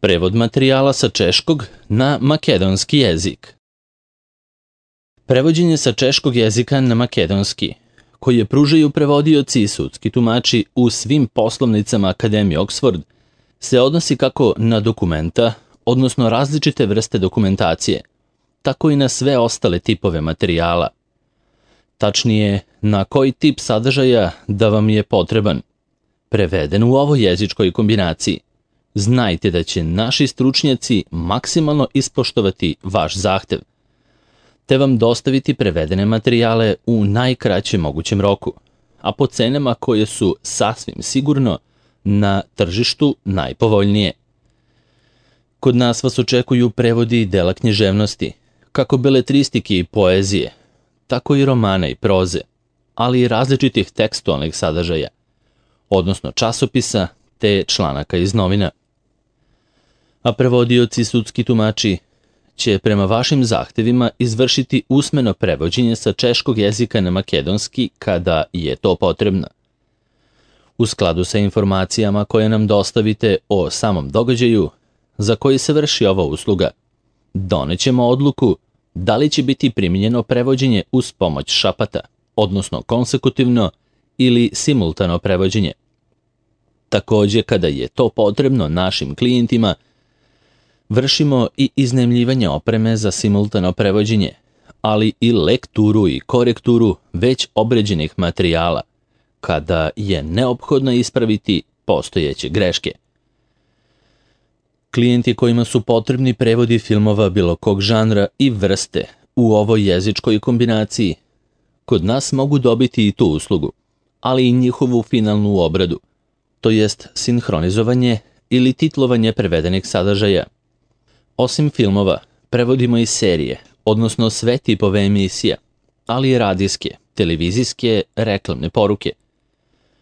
Prevod materijala sa češkog na makedonski jezik. Prevođenje sa češkog jezika na makedonski, koje pružaju prevodioci i sudski tumači u svim poslovnicama Akademije Oxford, se odnosi kako na dokumenta, odnosno različite vrste dokumentacije, tako i na sve ostale tipove materijala. Tačnije, na koji tip sadržaja da vam je potreban, preveden u ovoj jezičkoj kombinaciji. Znajte da će naši stručnjaci maksimalno ispoštovati vaš zahtev, te vam dostaviti prevedene materijale u najkraćem mogućem roku, a po cenama koje su sasvim sigurno na tržištu najpovoljnije. Kod nas vas očekuju prevodi dela književnosti, kako beletristike i poezije, tako i romana i proze, ali i različitih tekstualnih sadržaja, odnosno časopisa te članaka iz novina. A prevodioci i sudski tumači će prema vašim zahtevima izvršiti usmeno prevođenje sa češkog jezika na makedonski kada je to potrebno. U skladu sa informacijama koje nam dostavite o samom događaju za koji se vrši ova usluga, donećemo odluku da li će biti primijenjeno prevođenje uz pomoć šapata, odnosno konsekutivno ili simultano prevođenje. Takođe, kada je to potrebno našim klijentima, vršimo i iznajmljivanje opreme za simultano prevođenje, ali i lekturu i korekturu već obređenih materijala, kada je neophodno ispraviti postojeće greške. Klijenti kojima su potrebni prevodi filmova bilo kog žanra i vrste u ovoj jezičkoj kombinaciji, kod nas mogu dobiti i tu uslugu, ali i njihovu finalnu obradu, to jest sinhronizovanje ili titlovanje prevedenih sadržaja. Osim filmova, prevodimo i serije, odnosno sve tipove emisija, ali i radijske, televizijske, reklamne poruke.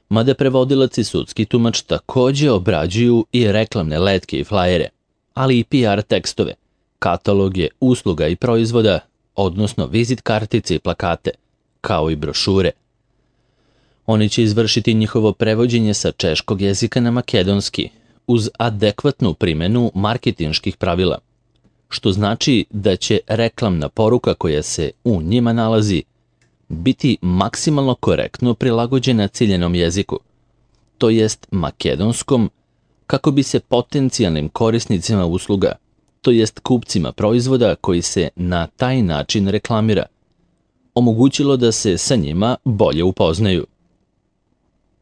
Mada prevodilac i sudski tumač takođe obrađuju i reklamne letke i flajere, ali i PR tekstove, kataloge, usluga i proizvoda, odnosno vizit kartice i plakate, kao i brošure. Oni će izvršiti njihovo prevođenje sa češkog jezika na makedonski, uz adekvatnu primenu marketinških pravila, što znači da će reklamna poruka koja se u njima nalazi biti maksimalno korektno prilagođena ciljenom jeziku, to jest makedonskom, kako bi se potencijalnim korisnicima usluga, to jest kupcima proizvoda koji se na taj način reklamira, omogućilo da se sa njima bolje upoznaju.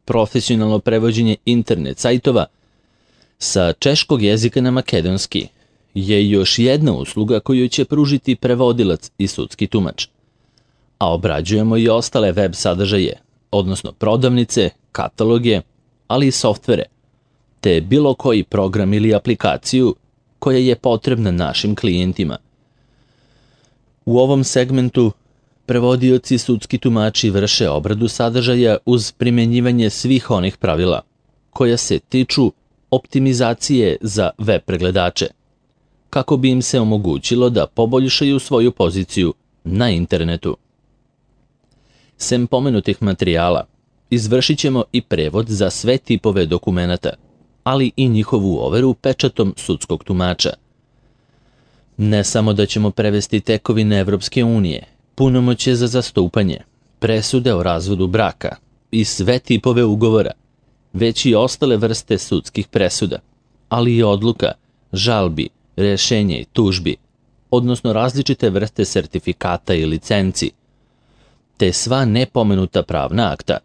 Profesionalno prevođenje internet sajtova sa češkog jezika na makedonski je još jedna usluga koju će pružiti prevodilac i sudski tumač, a obrađujemo i ostale web sadržaje, odnosno prodavnice, kataloge, ali i softvere, te bilo koji program ili aplikaciju koja je potrebna našim klijentima. U ovom segmentu prevodioci i sudski tumači vrše obradu sadržaja uz primjenjivanje svih onih pravila koja se tiču optimizacije za web pregledače, kako bi im se omogućilo da poboljšaju svoju poziciju na internetu. Sem pomenutih materijala, izvršit ćemo i prevod za sve tipove dokumenata, ali i njihovu overu pečatom sudskog tumača. Ne samo da ćemo prevesti tekovine Evropske unije, punomoćje za zastupanje, presude o razvodu braka i sve tipove ugovora, već i ostale vrste sudskih presuda, ali i odluka, žalbi, rešenja i tužbi, odnosno različite vrste sertifikata i licenci, te sva nepomenuta pravna akta.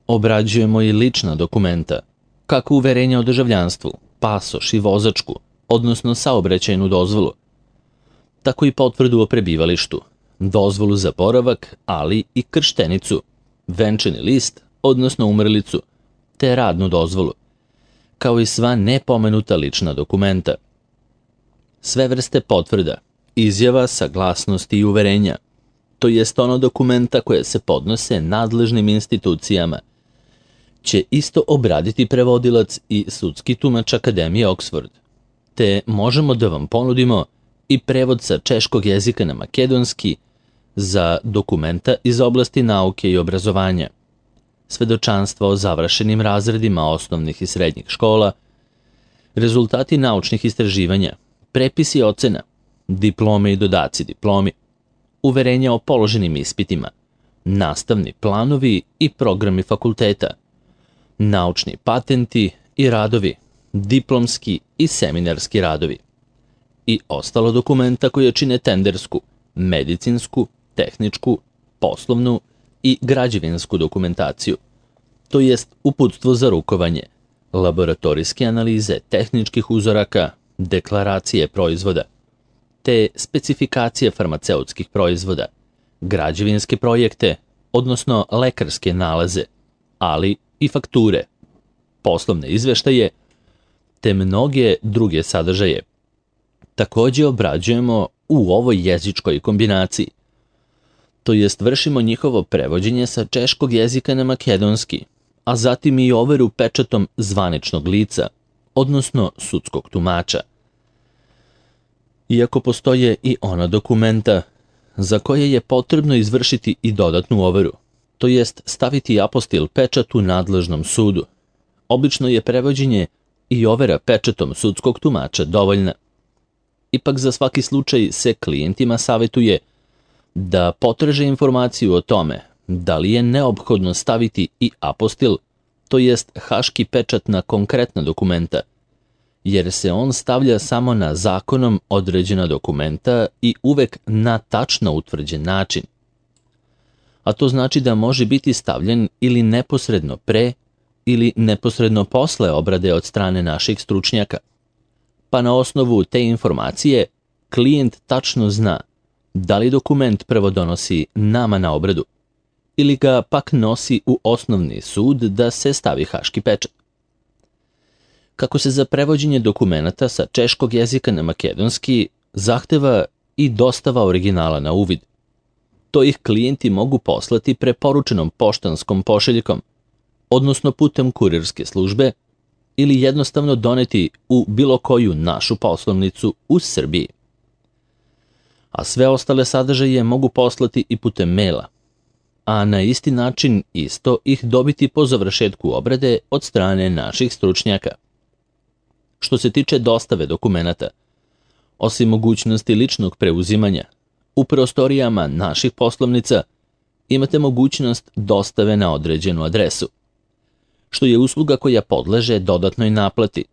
Obrađujemo i lična dokumenta, kako uverenja o državljanstvu, pasoš i vozačku, odnosno saobraćajnu dozvolu, tako i potvrdu o prebivalištu, dozvolu za boravak, ali i krštenicu, venčani list, odnosno umrlicu, te radnu dozvolu, kao i sva nepomenuta lična dokumenta. Sve vrste potvrda, izjava, saglasnosti i uverenja, to jest ono dokumenta koje se podnose nadležnim institucijama, će isto obraditi prevodilac i sudski tumač Akademije Oxford, te možemo da vam ponudimo i prevod sa češkog jezika na makedonski za dokumenta iz oblasti nauke i obrazovanja, svedočanstva o završenim razredima osnovnih i srednjih škola, rezultati naučnih istraživanja, prepisi ocena, diplome i dodaci diplomi, uverenja o položenim ispitima, nastavni planovi i programi fakulteta, naučni patenti i radovi, diplomski i seminarski radovi i ostalo dokumenta koje čine tendersku, medicinsku, tehničku, poslovnu i građevinsku dokumentaciju, to jest uputstvo za rukovanje, laboratorijske analize tehničkih uzoraka, deklaracije proizvoda, te specifikacije farmaceutskih proizvoda, građevinske projekte, odnosno lekarske nalaze, ali i fakture, poslovne izveštaje, te mnoge druge sadržaje. Takođe obrađujemo u ovoj jezičkoj kombinaciji, to jest vršimo njihovo prevođenje sa češkog jezika na makedonski, a zatim i overu pečatom zvaničnog lica, odnosno sudskog tumača. Iako postoje i ona dokumenta za koje je potrebno izvršiti i dodatnu overu, to jest staviti apostil pečat u nadležnom sudu, obično je prevođenje i overa pečatom sudskog tumača dovoljna. Ipak za svaki slučaj se klijentima savjetuje da potraže informaciju o tome da li je neophodno staviti i apostil, to jest haški pečat na konkretna dokumenta, jer se on stavlja samo na zakonom određena dokumenta i uvek na tačno utvrđen način. A to znači da može biti stavljen ili neposredno pre ili neposredno posle obrade od strane naših stručnjaka. Pa na osnovu te informacije klijent tačno zna da li dokument prvo donosi nama na obradu ili ga pak nosi u osnovni sud da se stavi haški pečat. Kako se za prevođenje dokumenata sa češkog jezika na makedonski zahteva i dostava originala na uvid, to ih klijenti mogu poslati preporučenom poštanskom pošiljkom, odnosno putem kurirske službe, ili jednostavno doneti u bilo koju našu poslovnicu u Srbiji. A sve ostale sadržaje mogu poslati i putem maila, a na isti način isto ih dobiti po završetku obrade od strane naših stručnjaka. Što se tiče dostave dokumenata, osim mogućnosti ličnog preuzimanja, u prostorijama naših poslovnica imate mogućnost dostave na određenu adresu, što je usluga koja podleže dodatnoj naplati,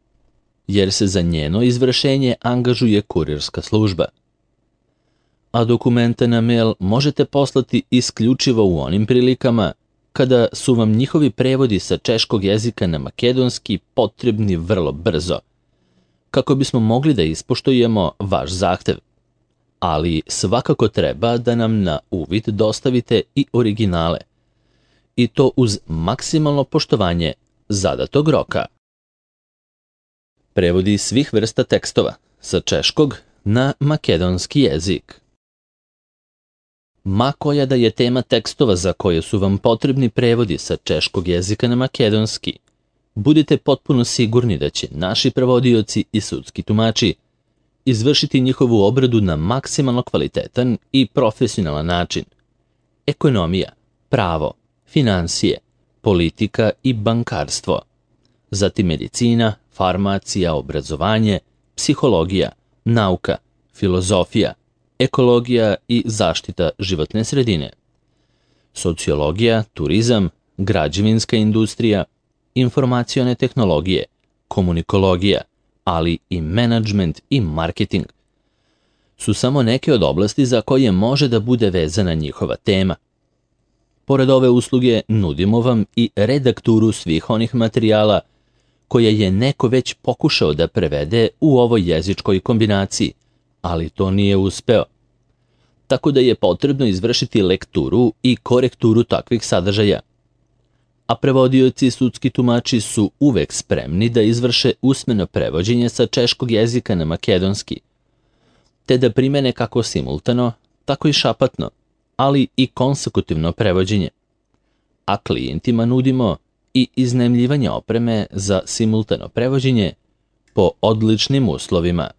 jer se za njeno izvršenje angažuje kurirska služba. A dokumente na mail možete poslati isključivo u onim prilikama kada su vam njihovi prevodi sa češkog jezika na makedonski potrebni vrlo brzo, kako bismo mogli da ispoštujemo vaš zahtev. Ali svakako treba da nam na uvid dostavite i originale, i to uz maksimalno poštovanje zadatog roka. Prevodi svih vrsta tekstova sa češkog na makedonski jezik. Ma koja da je tema tekstova za koje su vam potrebni prevodi sa češkog jezika na makedonski, budite potpuno sigurni da će naši prevodioci i sudski tumači izvršiti njihovu obradu na maksimalno kvalitetan i profesionalan način. Ekonomija, pravo, finansije, politika i bankarstvo, zatim medicina, farmacija, obrazovanje, psihologija, nauka, filozofija, ekologija i zaštita životne sredine, sociologija, turizam, građevinska industrija, informacione tehnologije, komunikologija, ali i menadžment i marketing su samo neke od oblasti za koje može da bude vezana njihova tema. Pored ove usluge nudimo vam i redakturu svih onih materijala koje je neko već pokušao da prevede u ovoj jezičkoj kombinaciji, ali to nije uspeo. Tako da je potrebno izvršiti lekturu i korekturu takvih sadržaja. A prevodioci i sudski tumači su uvek spremni da izvrše usmeno prevođenje sa češkog jezika na makedonski, te da primene kako simultano, tako i šapatno, ali i konsekutivno prevođenje. A klijentima nudimo i iznajmljivanje opreme za simultano prevođenje po odličnim uslovima.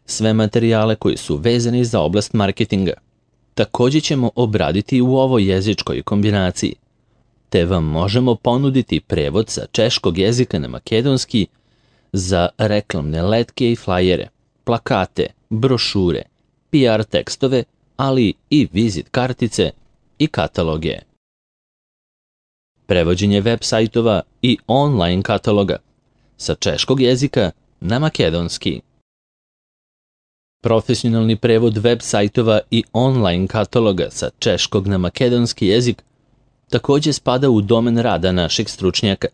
Sve materijale koji su vezani za oblast marketinga također ćemo obraditi u ovoj jezičkoj kombinaciji, te vam možemo ponuditi prevod sa češkog jezika na makedonski za reklamne letke i flajere, plakate, brošure, PR tekstove, ali i vizit kartice i kataloge. Prevođenje web sajtova i online kataloga sa češkog jezika na makedonski. Profesionalni prevod web sajtova i online kataloga sa češkog na makedonski jezik također spada u domen rada naših stručnjaka,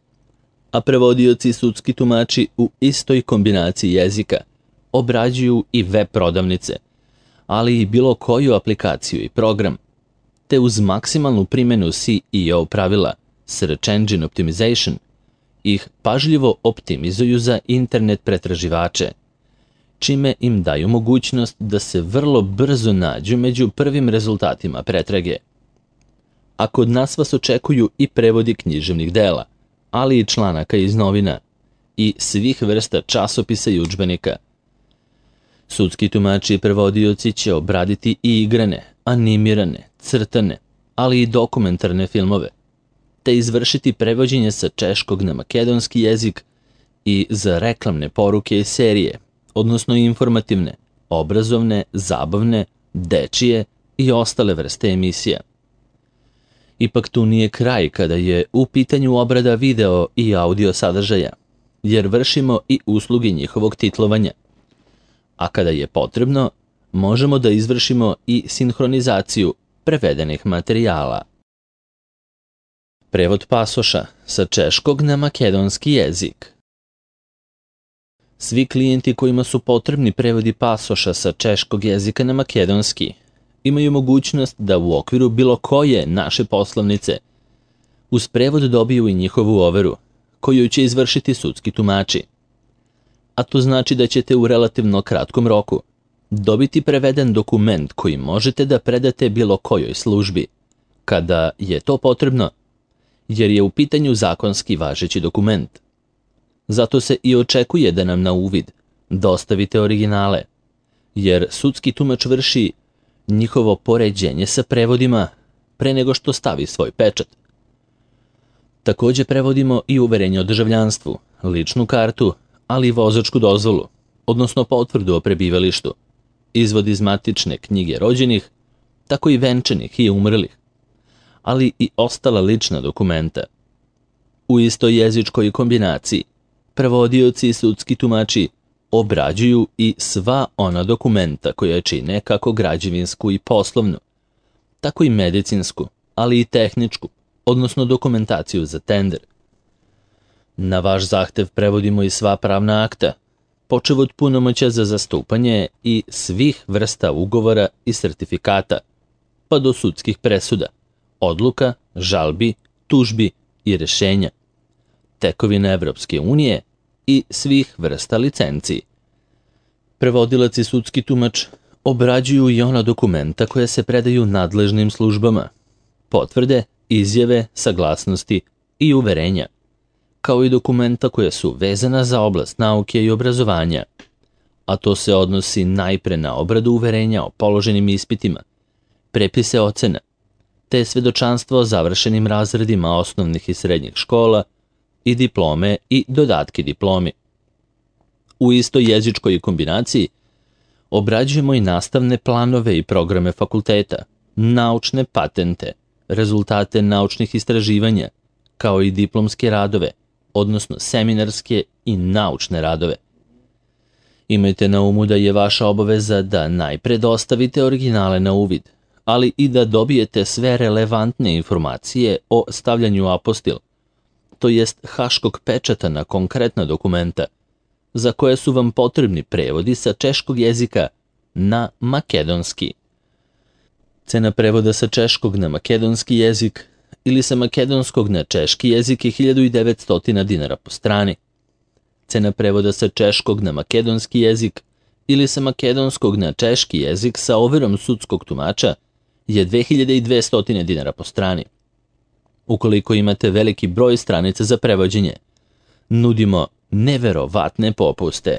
a prevodioci i sudski tumači u istoj kombinaciji jezika obrađuju i web prodavnice, ali i bilo koju aplikaciju i program, te uz maksimalnu primjenu SEO pravila, Search Engine Optimization, ih pažljivo optimizuju za internet pretraživače, čime im daju mogućnost da se vrlo brzo nađu među prvim rezultatima pretrage. A kod nas vas očekuju i prevodi književnih dela, ali i članaka iz novina i svih vrsta časopisa i udžbenika. Sudski tumači i prevodioci će obraditi i igrane, animirane, crtane, ali i dokumentarne filmove, te izvršiti prevođenje sa češkog na makedonski jezik i za reklamne poruke i serije, odnosno informativne, obrazovne, zabavne, dečije i ostale vrste emisija. Ipak tu nije kraj kada je u pitanju obrada video i audio sadržaja, jer vršimo i usluge njihovog titlovanja. A kada je potrebno, možemo da izvršimo i sinhronizaciju prevedenih materijala. Prevod pasoša sa češkog na makedonski jezik. Svi klijenti kojima su potrebni prevodi pasoša sa češkog jezika na makedonski imaju mogućnost da u okviru bilo koje naše poslovnice uz prevod dobiju i njihovu overu, koju će izvršiti sudski tumači. A to znači da ćete u relativno kratkom roku dobiti preveden dokument koji možete da predate bilo kojoj službi, kada je to potrebno, jer je u pitanju zakonski važeći dokument. Zato se i očekuje da nam na uvid dostavite originale, jer sudski tumač vrši njihovo poređenje sa prevodima pre nego što stavi svoj pečat. Također prevodimo i uverenje o državljanstvu, ličnu kartu, ali i vozačku dozvolu, odnosno potvrdu o prebivalištu, izvod iz matične knjige rođenih, tako i venčanih i umrlih, ali i ostala lična dokumenta. U istoj jezičkoj kombinaciji prevodioci i sudski tumači obrađuju i sva ona dokumenta koja čine kako građevinsku i poslovnu, tako i medicinsku, ali i tehničku, odnosno dokumentaciju za tender. Na vaš zahtev prevodimo i sva pravna akta, počev od punomoćja za zastupanje i svih vrsta ugovora i sertifikata, pa do sudskih presuda, odluka, žalbi, tužbi i rešenja, tekovina Evropske unije i svih vrsta licenciji. Prevodilac i sudski tumač obrađuju i ona dokumenta koja se predaju nadležnim službama, potvrde, izjave, saglasnosti i uverenja, kao i dokumenta koja su vezana za oblast nauke i obrazovanja, a to se odnosi najpre na obradu uverenja o položenim ispitima, prepise ocena, te svedočanstvo o završenim razredima osnovnih i srednjih škola i diplome i dodatke diplomi. U istoj jezičkoj kombinaciji obrađujemo i nastavne planove i programe fakulteta, naučne patente, rezultate naučnih istraživanja, kao i diplomske radove, odnosno seminarske i naučne radove. Imajte na umu da je vaša obaveza da najpre dostavite originale na uvid, ali i da dobijete sve relevantne informacije o stavljanju apostil, to jest haškog pečata na konkretna dokumenta, za koje su vam potrebni prevodi sa češkog jezika na makedonski. Cena prevoda sa češkog na makedonski jezik ili sa makedonskog na češki jezik je 1900 dinara po strani. Cena prevoda sa češkog na makedonski jezik ili sa makedonskog na češki jezik sa overom sudskog tumača je 2200 dinara po strani. Ukoliko imate veliki broj stranica za prevođenje, nudimo neverovatne popuste.